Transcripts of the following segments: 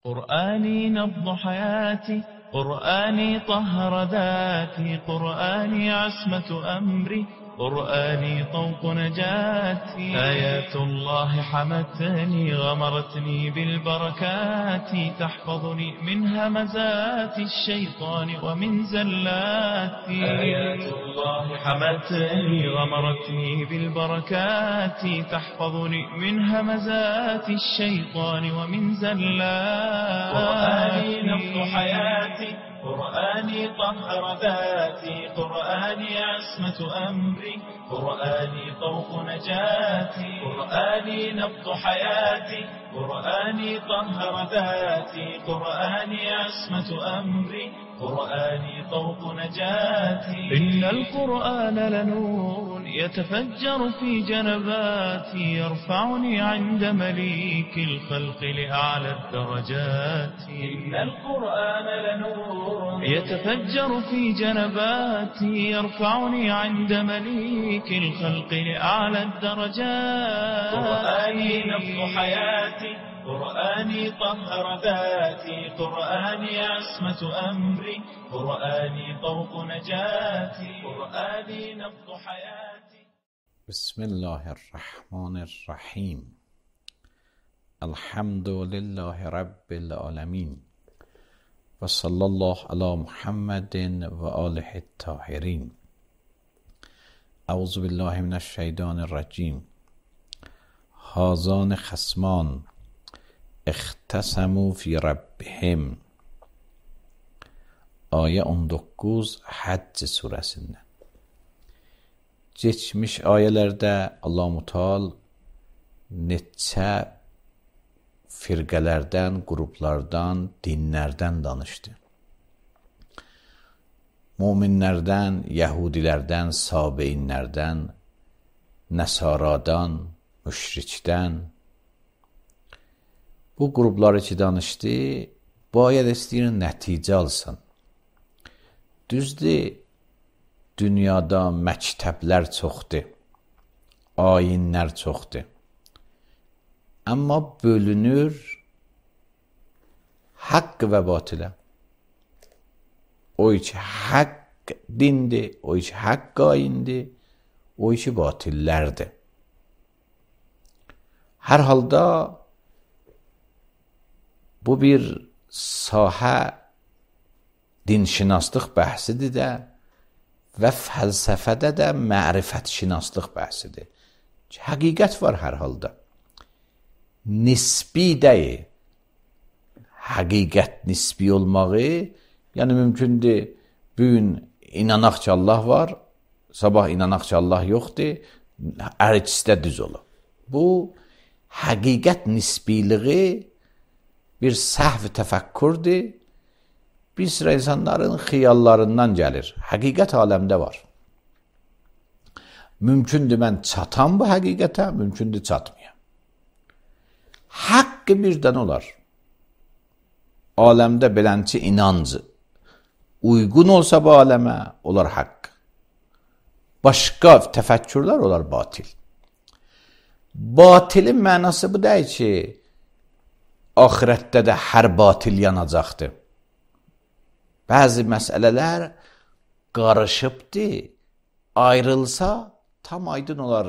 قرآني نبض حياتي، قرآني طهر ذاتي، قرآني عصمة أمري، قرآني طوق نجاتي. آيات الله حمتني غمرتني بالبركات، تحفظني من همزات الشيطان ومن زلاتي. آيات الله حمتني غمرتني بالبركات، تحفظني من همزات الشيطان ومن زلاتي. قرآني نبض حياتي، قرآني طهر ذاتي، قرآني عصمة أمري، قرآني طوق نجاتي. قرآني نبض حياتي، قرآني طهر ذاتي، قرآني عصمة أمري، قرآني طوق نجاتي. إن القرآن لنور يتفجر في جنباتي، يرفعني عند مليك الخلق لأعلى الدرجات. إن القرآن لنور يتفجر في جنباتي، يرفعني عند مليك الخلق لأعلى الدرجات. قرآني نبض حياتي، قرآني طهر ذاتي، قرآني عصمة أمري، قرآني طوق نجاتي. قرآني نبض حياتي. بسم الله الرحمن الرحیم. الحمد لله رب العالمین و صلی الله علی محمد و آله الطاهرین. اعوذ بالله من الشیطان الرجیم. هذان خصمان اختصموا فی ربهم. Ayə 19 Həcc surəsindən. Keçmiş ayələrdə Allah-u Teala neçə firqələrdən, qruplardan, dinlərdən danışdı. Möminlərdən, Yəhudilərdən, Sabeinlərdən, Nəsaradan, müşrikdən. Bu qrupları ki danışdı, bu ayədə istəyir nəticə alsın. Düzdür, dünyada məktəblər çoxdur, ayinlər çoxdur. Amma bölünür haqq və batilə. O ki haqq dindir, o ki haqq ayindir, o ki batillərdir. Hər halda bu bir sahə dinşinaslıq bəhsidir də və fəlsəfədə də mərifətşinaslıq bəhsidir. Həqiqət var hər halda. Nisbi deyil. Həqiqət nisbi olmağı, yəni mümkündür bugün inanaq ki Allah var, sabah inanaq ki Allah yoxdur, hər ikisi də düz olur. Bu həqiqət nisbiliği bir səhv təfəkkürdür. Bir sıra insanların xiyallarından gəlir. Həqiqət aləmdə var. Mümkündür mən çatam bu həqiqətə, mümkündür çatmayam. Haqqı birdən olar. Aləmdə belənçi inancı uyğun olsa bu aləmə, olar haqq. Başqa təfəkkürlər olar batil. Batilin mənası bu deyil ki, axirətdə də hər batil yanacaqdır. Bəzi məsələlər qarışıbdır, ayrılsa tam aydın olar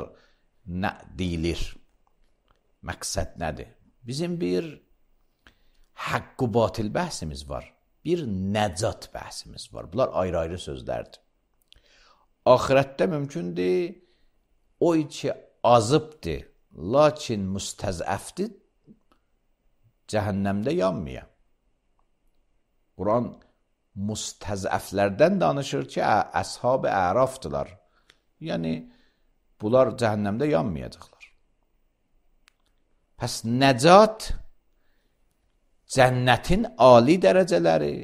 nə deyilir, məqsəd nədir? Bizim bir haqq-ı batil bəhsimiz var, bir nəcat bəhsimiz var. Bunlar ayrı-ayrı sözlərdir. Axirətdə mümkündür, o ki azıbdır, lakin müstəzəfdir, cəhənnəmdə yanmaya. Quran müstəzəflərdən danışır ki, əshab-ı ərafdılar. Yəni, bunlar cəhənnəmdə yanmayacaqlar. Pəs nəcat, cənnətin ali dərəcələri,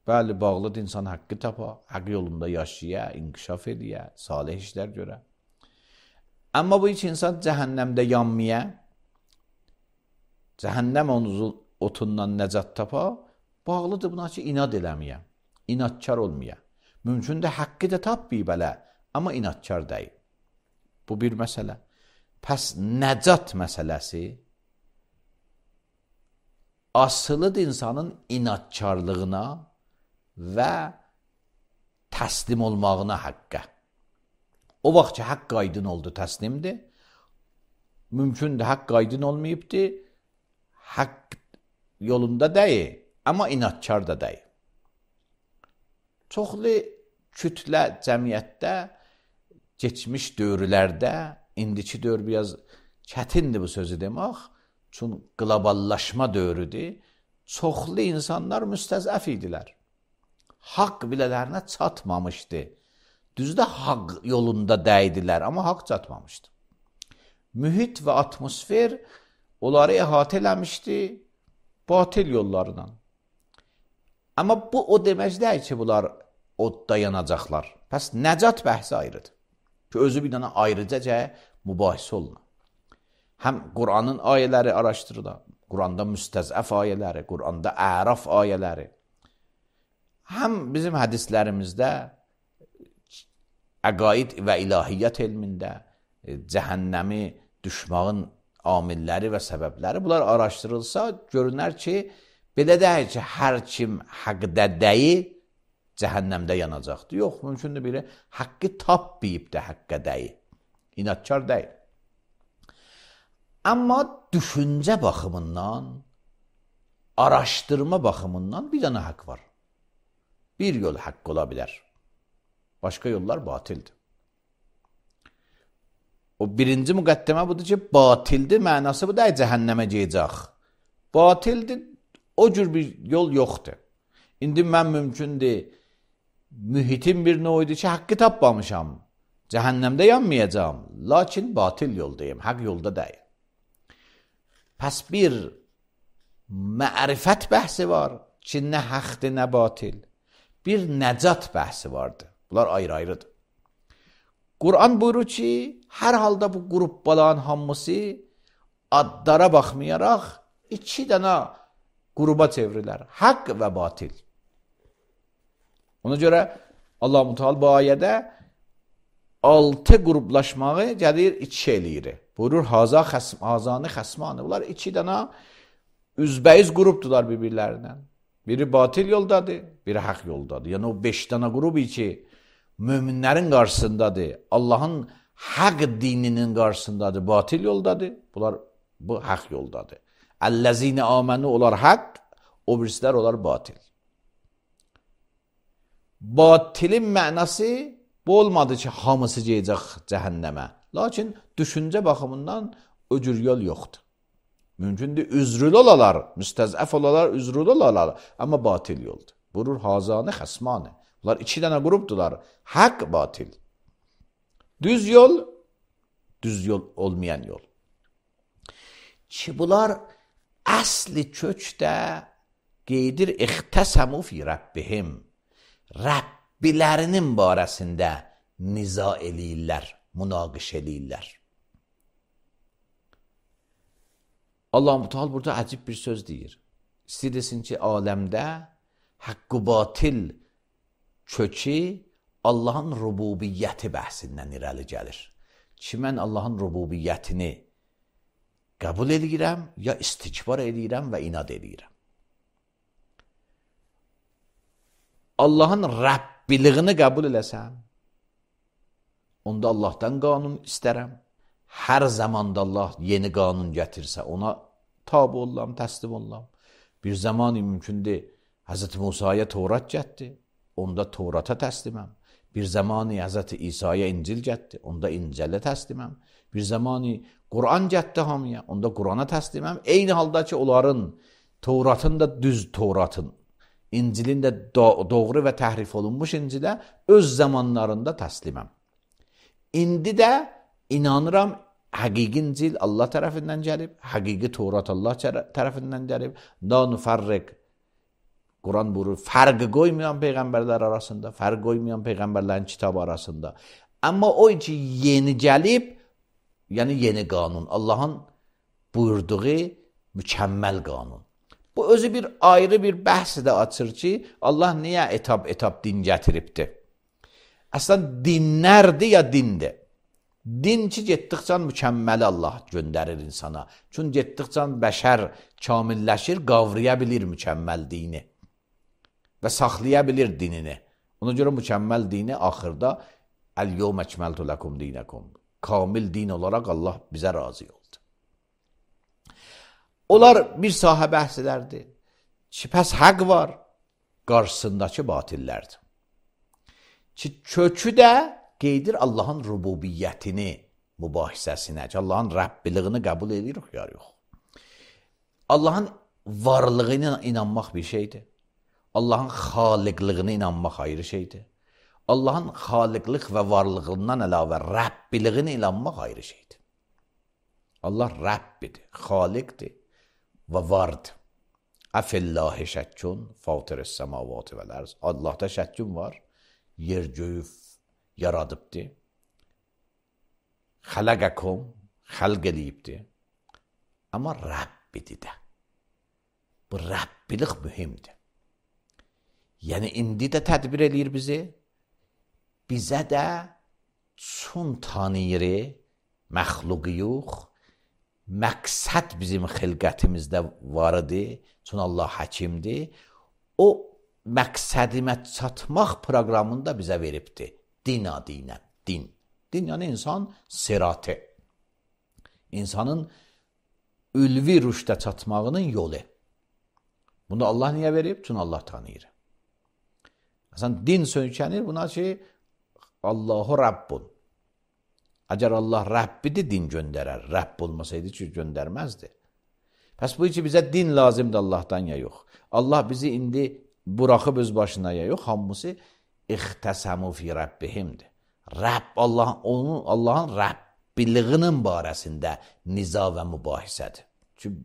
bəli, bağlıdır insan haqqı tapa, haqq yolunda yaşaya, inkişaf ediyə, salih işlər görə. Amma bu iki insan cəhənnəmdə yanmaya, cəhənnəm otundan nəcat tapa, bağlıdır buna ki, inad eləməyə, inadkar olmaya. Mümkündür haqqı da tapmayıb elə, amma inadkar deyil. Bu bir məsələ. Pəs nəcat məsələsi asılıdır insanın inatkarlığına və təslim olmağına haqqa. O vaxt ki, haqq aydın oldu, təslimdir. Mümkündür, haqq aydın olmayıbdır. Haqq yolunda deyil, amma inatkar da deyil. Çoxlu kütlə cəmiyyətdə, geçmiş dövrlərdə, indiki dövr biraz çətindir bu sözü demək, çünki qloballaşma dövrüdür. Çoxlu insanlar müstəzəf idilər. Haqq bilələrinə çatmamışdı. Düzdə haqq yolunda dəydilər, amma haqq çatmamışdı. Mühit və atmosfer onları əhatə eləmişdi batil yollarla. Amma bu o demək deyil ki, bunlar odda yanacaqlar. Pəs nəcat bəhsi ayrıdır. Ki, özü bir dənə ayrıca mübahisə olunur. Həm Qur'anın ayələri araşdırılır, Qur'anda müstəzəf ayələri, Qur'anda əraf ayələri. Həm bizim hədislərimizdə əqaid və ilahiyyat elmində cəhənnəmi düşmağın amilləri və səbəbləri bunlar araşdırılsa, görünər ki, belə deyil ki, hər kim haqqda deyil, cəhənnəmdə yanacaqdır. Yox, mümkündür biri haqqı tapmayıb da haqqa deyil. İnatkar deyil. Amma düşüncə baxımından, araşdırma baxımından bir dənə haqq var. Bir yol haqq ola bilər. Başqa yollar batildir. O birinci müqəddimə budur ki, batildir, mənası bu da cəhənnəmə gedəcək. Batildir, o cür bir yol yoxdur. İndi mən mümkündür, mühitin bir nöyüdür ki, haqqı tapmamışam, cəhənnəmdə yanmayacam, lakin batil yoldayım, haqq yolda deyil. Pəs bir mərifət bəhsi var ki, nə haqdır, nə batil. Bir nəcat bəhsi vardır. Bunlar ayrı-ayrıdır. Qur'an buyurur ki, hər halda bu qrupların hamısı adlara baxmayaraq iki dənə qruba çevrilər. Haqq və batil. Ona görə Allah-u Teala bu ayədə 6 qruplaşmağı gəlir 2 eləyir. Buyurur, hazani xəsmanı. Bunlar 2 dənə üzbəyiz qrupdular bir-birlərindən. Biri batil yoldadır, biri haqq yoldadır. Yəni o 5 dənə qrubu ki, möminlərin qarşısındadır, Allahın haqq dininin qarşısındadır, batil yoldadır. Bunlar bu haqq yoldadır. Əl-ləzine aməni olar haqq, o birisilər olar batil. Batilin mənası bu olmadı ki, hamısı gedəcək cəhənnəmə. Lakin düşüncə baxımından o cür yol yoxdur. Mümkündür, üzrül olalar, müstəzəf olalar, üzrül olalar, amma batil yoldur. Buyurur, hazani xəsmanı. Bunlar 2 dənə qrupdular. Haqq, batil. Düz yol olmayan yol. Ki bunlar əsli kökdə qeydir ixtəsəmu fi Rabbihim. Rəbbilərinin barəsində niza eləyirlər, münaqiş eləyirlər. Allah-u Teala burada əcib bir söz deyir. İstəyirsin ki, aləmdə haqq-ı batil kökü Allahın rububiyyəti bəhsindən irəli gəlir. Ki, mən Allahın rububiyyətini qəbul edirəm, ya istikbar edirəm və inad edirəm. Allahın Rəbbiliyini qəbul eləsəm, onda Allahdan qanun istərəm. Hər zamanda Allah yeni qanun gətirsə, ona tabi olam, təslim olam. Bir zamanı mümkündür, Hz. Musaya Tevrat gətdi, onda Tevrata təsliməm. Bir zamanı Hz. İsa'ya İncil gətdi, onda İncilə təsliməm. Bir zamanı Qur'an gətdi hamıya, onda Qur'ana təsliməm. Eyni halda ki, onların Tevratın da düz Tevratın, İncilin də doğru və təhrif olunmuş İncilə öz zamanlarında təsliməm. İndi də İnanıram, həqiqi İncil Allah tərəfindən gəlib, həqiqi Tevrat Allah tərəfindən gəlib. Da nüfərriq, Quran buyurur, fərqi qoymayan peyğəmbərlər arasında, fərq qoymayan peyğəmbərlərin kitabı arasında. Amma o ki, yeni gəlib, yəni yeni qanun, Allahın buyurduğu mükəmməl qanun. Bu özü bir ayrı bir bəhsi də açır ki, Allah niyə etap din gətiribdir? Əslən, dinlərdir ya dindir? Din ki, getdikcə mükəmməli Allah göndərir insana. Çünki getdikcə bəşər kamilləşir, qavraya bilir mükəmməl dini və saxlaya bilir dinini. Ona görə mükəmməl dini axırda Əl-yevm əkməltu ləkum dinəkum. Kamil din olaraq Allah bizə razı oldu. Onlar bir sahə bəhs edərdi ki, pəs həq var, qarşısındakı batillərdir. Ki, kökü də qeydir Allahın rububiyyətini mübahisəsinə, ki, Allahın Rəbbiliyini qəbul edirik, ya yox. Allahın varlığına inanmaq bir şeydir. Allahın xaliqlığına inanmaq ayrı şeydir. Allahın xaliqlik və varlığından əlavə Rəbbiliyinə inanmaq ayrı şeydir. Allah Rəbbidir, xaliqdir və vardır. Əfəllahi şəkkun, fatirəs səmavati vəl-ərz. Allahda şəkkun var, yer göyü yaradıbdır. Xələqəkum, xəlq eləyibdir. Amma Rəbbidir də. Bu Rəbbilik mühimdir. Yəni, indi də tədbir eləyir bizi. Bizə də çün tanıyırı, məxluqiyuq, məqsəd bizim xilqətimizdə var idi. Çün Allah həkimdir. O məqsədimə çatmaq proqramında bizə veribdir. Din adıyla, din. Din yəni insan siratı. İnsanın ülvi rüşdə çatmağının yolu. Bunu Allah niyə verib? Çünki Allah tanıyır. Məsələn, din söykənir buna ki, Allahu Rabbun. Əgər Allah Rəbbidir, din göndərər. Rəbb olmasaydı ki, göndərməzdi. Pəs bu ki, bizə din lazımdır Allahdan ya yox. Allah bizi indi buraxıb öz başına ya yox, hamısı ixtəsəmu fi Rəbbihimdir. Rəbb, Allahın Rəbbiliyinin barəsində niza və mübahisədir. Çünki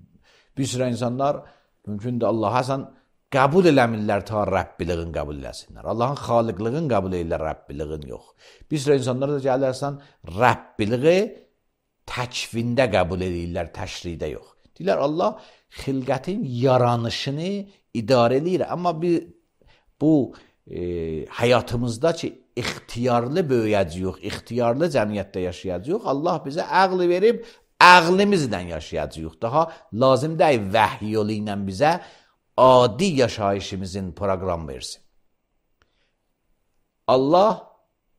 bir sürə insanlar mümkündür Allaha qəbul eləmirlər ta Rəbbiliyin qəbul eləsinlər. Allahın xaliqliyin qəbul edirlər, Rəbbiliyin yox. Bir sürə insanlar da gəlirsən Rəbbiliyi təkvində qəbul edirlər, təşridə yox. Deyirlər Allah xilqətin yaranışını idarə edir. Amma bu həyatımızda ki, ixtiyarlı böyüyəcəyik, ixtiyarlı cəmiyyətdə yaşayacağıq. Allah bizə əqli verib, əqlimizlə yaşayacağıq. Daha lazım deyil vəhiy yolu ilə bizə adi yaşayışımızın proqram versin. Allah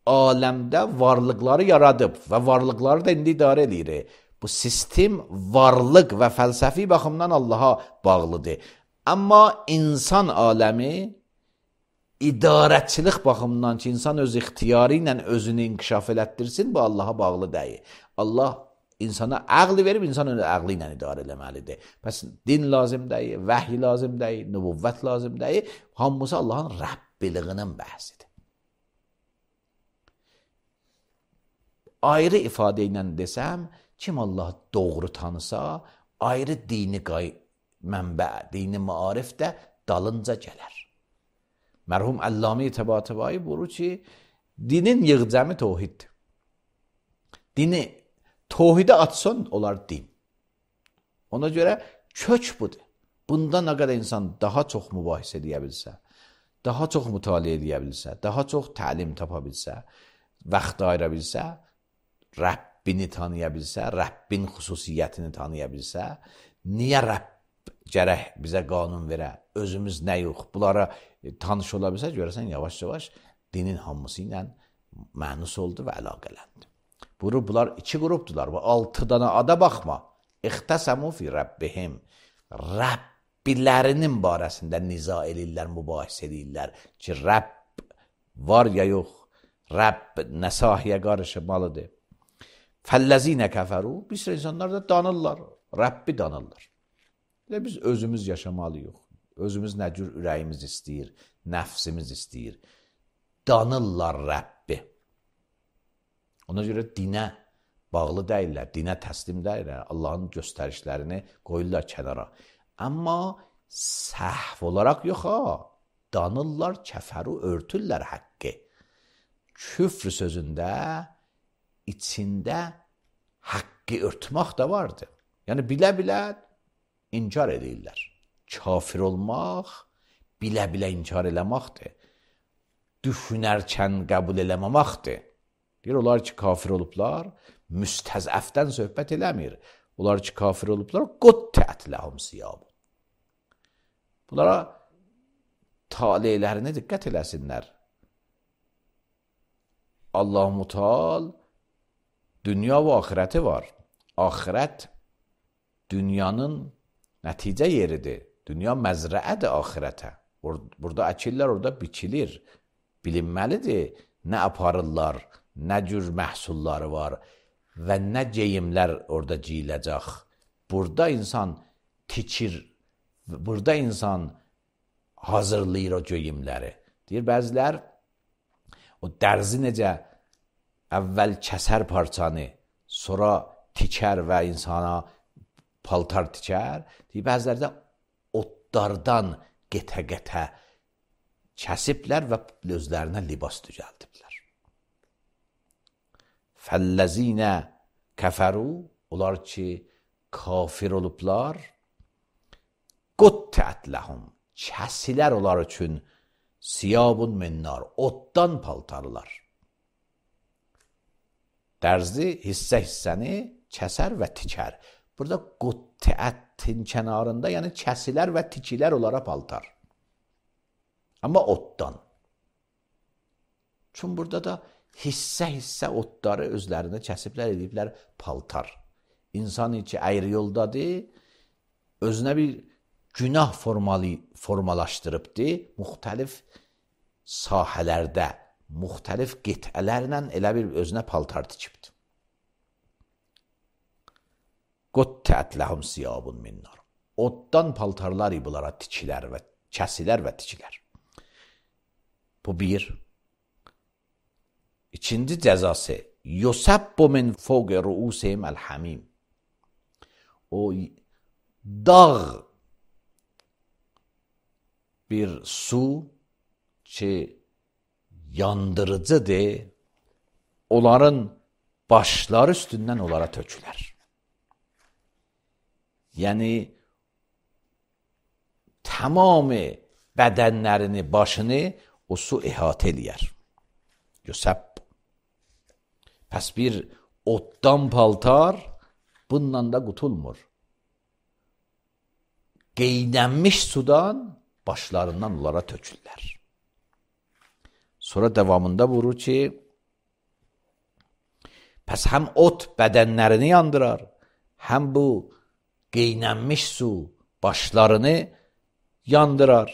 aləmdə varlıqları yaradıb və varlıqları da indi idarə edir. Bu sistem varlıq və fəlsəfi baxımdan Allaha bağlıdır. Amma insan aləmi idarəçilik baxımından ki, insan öz ixtiyarı ilə özünü inkişaf elətdirsin, bu Allaha bağlı deyil. Allah insana əqli verib, insan onu əqli ilə idarə eləməlidir. Bəs din lazım deyil, vəhiy lazım deyil, nübüvvət lazım deyil. Hamısı Allahın Rəbbiliyinin bəhsidir. Ayrı ifadə ilə desəm, kim Allah doğru tanısa, ayrı dini mənbə, dini maarif də dalınca gələr. Mərhum Əlləmi Təbatəbai buyurur ki, dinin yığcəmi tohiddir. Dini tohidə atsan, olar din. Ona görə kök budur. Bunda nə qədər insan daha çox mübahisə edə bilsə, daha çox mütaliə edə bilsə, daha çox təlim tapa bilsə, vaxt ayıra bilsə, Rəbbini tanıya bilsə, Rəbbin xüsusiyyətini tanıya bilsə, niyə Rəbb gərək bizə qanun verə, özümüz nə yox, bunlara tanış ola bilsə, görəsən yavaş-yavaş dinin hamısı ilə mənus oldu və əlaqələndi. Bunlar iki qrupdular. Bu 6 dana ada baxma. İxtəsəmu fi Rəbbihim. Rəbbilərinin barəsində niza edirlər, mübahisə edirlər ki, Rəbb var ya yox, Rəbb nə sahiyə qarışmalıdır. Fəlləzinə kəfəru, bir sürü insanlar da danırlar, Rəbbi danırlar. Biz özümüz yaşamalıyıq. Özümüz nə cür ürəyimiz istəyir, nəfsimiz istəyir. Danırlar Rəbbi. Ona görə dinə bağlı deyirlər, dinə təslim deyirlər, Allahın göstərişlərini qoyurlar kənara. Amma səhv olaraq yox ha, danırlar, kəfəru örtürlər haqqı. Küfr sözündə, içində haqqı örtmək də vardır. Yəni bilə-bilə inkar edirlər. Kafir olmaq, bilə-bilə inkar eləməkdir. Düşünərkən qəbul eləməməkdir. Deyir, onlar ki, kafir olublar, müstəzəfdən söhbət eləmir. Onlar ki, kafir olublar, quttiət ləhum siyabun. Bunlara taleylərinə diqqət eləsinlər. Allah-u Muteal dünya və axirəti var. Axirət dünyanın nəticə yeridir. Dünya məzrəədir axirətə. Burada əkirlər, orada biçilir. Bilinməlidir nə aparırlar, nə cür məhsulları var və nə geyimlər orada giyiləcək. Burada insan tikir, burada insan hazırlayır o geyimləri. Deyir, bəzilər o dərzi necə əvvəl kəsər parçanı, sonra tikər və insana paltar tikər. Deyir, bəziləri də otlardan qetə-qetə kəsiblər və özlərinə libas düzəldiblər. Fəlləzinə kəfəru, onlar ki, kafir olublar, quttiət ləhum, kəsilər onlar üçün siyabun min nar, oddan paltarlar. Dərzi hissə-hissəni kəsər və tikər. Burada quttiətin kənarında, yəni kəsilər və tikilər onlara paltar. Amma oddan. Çünki burada da hissə-hissə otları özlərinə kəsiblər, ediblər paltar. İnsan ki, əyri yoldadır, özünə bir günah formalaşdırıbdır, müxtəlif sahələrdə, müxtəlif qitələrlə elə bir özünə paltar tikibdir. Quttiət ləhum siyabun min nar. Oddan paltarlar bunlara tikilər və kəsilər və tikilər. Bu bir. İkinci cəzası. Yusabbu min fawqi ruusihim el-hamim. O dağ bir su ki yandırıcıdır, onların başları üstündən onlara tökülər. Yəni tamamı bədənlərini, başını o su əhatə eləyər. Yusab. Pəs bir oddan paltar bununla da qutulmur. Qeynənmiş sudan başlarından onlara tökürlər. Sonra davamında vurur ki, pəs həm ot bədənlərini yandırar, həm bu qeynənmiş su başlarını yandırar.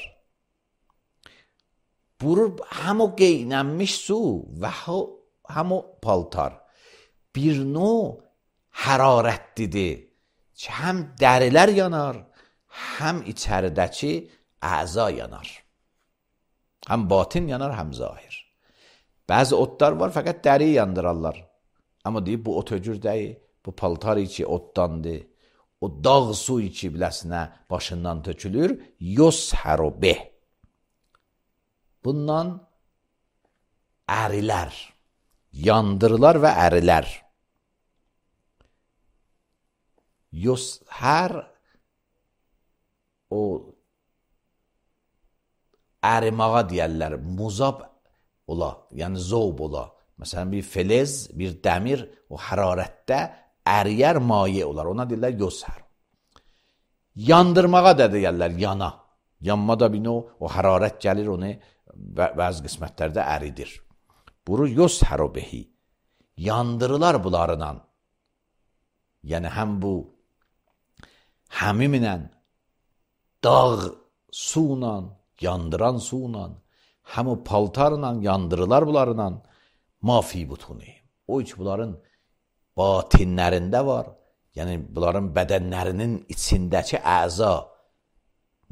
Vurur həm o qeynənmiş su və həm o paltar bir növ hərarətlidir ki, həm dərilər yanar, həm içəridəki əza yanar. Həm batin yanar, həm zahir. Bəzi otlar var, fəqət dəri yandırarlar. Amma deyib, bu ot öcür deyil, bu paltar içi otdandır. O dağ su içi biləsinə başından tökülür, yushəru bih. Bundan ərilər, yandırılar və ərilər. Yushər o ərimağa deyərlər, muzab ola, yəni zovb ola. Məsələn, bir feliz, bir dəmir o hərarətdə əriyər maye olar, ona deyirlər yushər. Yandırmağa da deyərlər, yana. Yanma da bir o hərarət gəlir, onu bəzi qismətlərdə əridir. Buru yushəru bihi. Yandırılar bunlarla. Yəni həm bu həmimlə, dağ suyla, yandıran suyla, həm o paltarla yandırılar bunlarla, mafi butuni. O iç bunların batinlərində var. Yəni bunların bədənlərinin içindəki əza,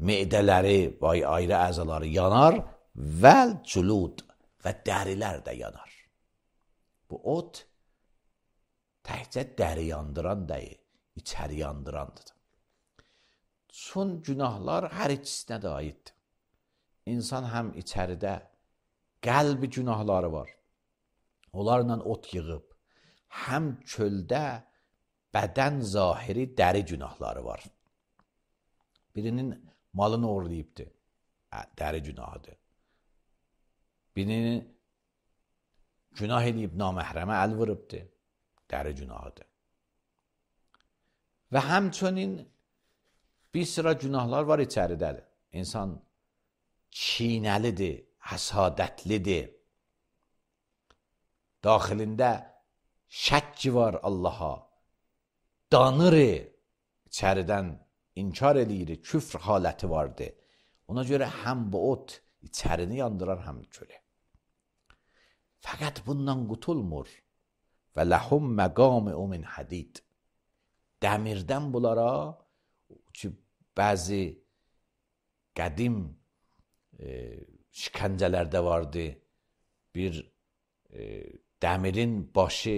meydələri, ayrı əzaları yanar vəl cülud və dərilər də yanar. Bu ot təkcə dəri yandıran deyil, içəri yandırandır. Son günahlar hər ikisinə də aiddir. İnsan həm içəridə qəlbi günahları var. Onlarla ot yığıb. Həm çöldə bədən zahiri dəri günahları var. Birinin malını oğurlayıbdır. Dəri günahıdır. Birinin Günah edib naməhrəmə əl vurubdur. Dəri günahıdır. Və həmçinin bir sıra günahlar var içəridədir. İnsan çiynəlidir, həsadətlidir. Daxilində şəkki var Allaha. Danır, içəridən inkar eləyir, küfr haləti vardır. Ona görə həm bu ot içərini yandırar, həm kölə. Fəqət bundan qutulmur. Və ləhum məqami'u min hadid. Dəmirdən bunlara ki, bəzi qədim şikəncələrdə vardı. Bir dəmirin başı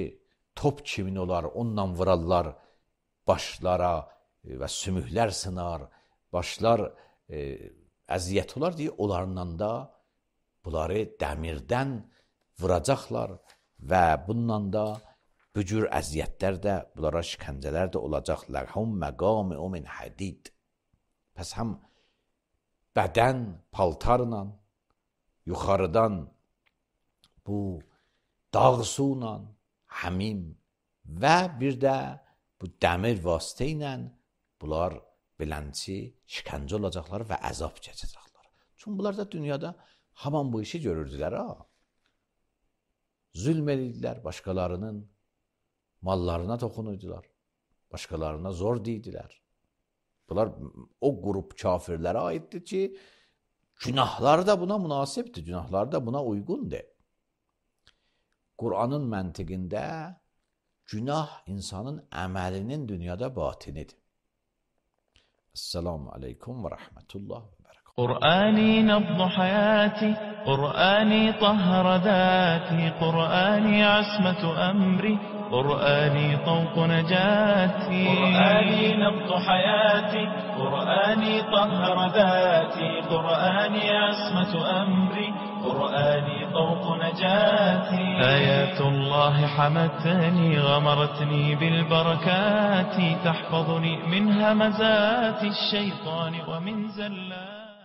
top kimin olar, onunla vurarlar başlara və sümüklər sınar, başlar əziyyət olar deyə onlarla da bunları dəmirdən vuracaqlar və bununla da bu cür əziyyətlər də, bunlara şikəncələr də olacaq. Ləhum məqami'u min hadid. Pəs həm bədən paltarla, yuxarıdan bu dağ suyla, həmim və bir də bu dəmir vasitə ilə bunlar beləncə şikəncə olacaqlar və əzab çəkəcəklər. Çünki bunlar da dünyada haman bu işi görürdülər. Zülm edirdilər, başqalarının mallarına toxunurdular, başqalarına zor deydilər. Bunlar o qrup kafirlərə aiddir ki, günahları da buna münasibdir, günahları da buna uyğundur. Qur'anın məntiqində günah insanın əməlinin dünyada batinidir. Esselamu aleykum və rəhmətullah və bərəkət. قرآني نبض حياتي قرآني طهر ذاتي قرآني عصمة أمري قرآني طوق نجاتي قرآني نبض حياتي قرآني طهر ذاتي قرآني عصمة أمري قرآني طوق نجاتي آيات الله حمتني غمرتني بالبركات تحفظني من همزات الشيطان ومن زلات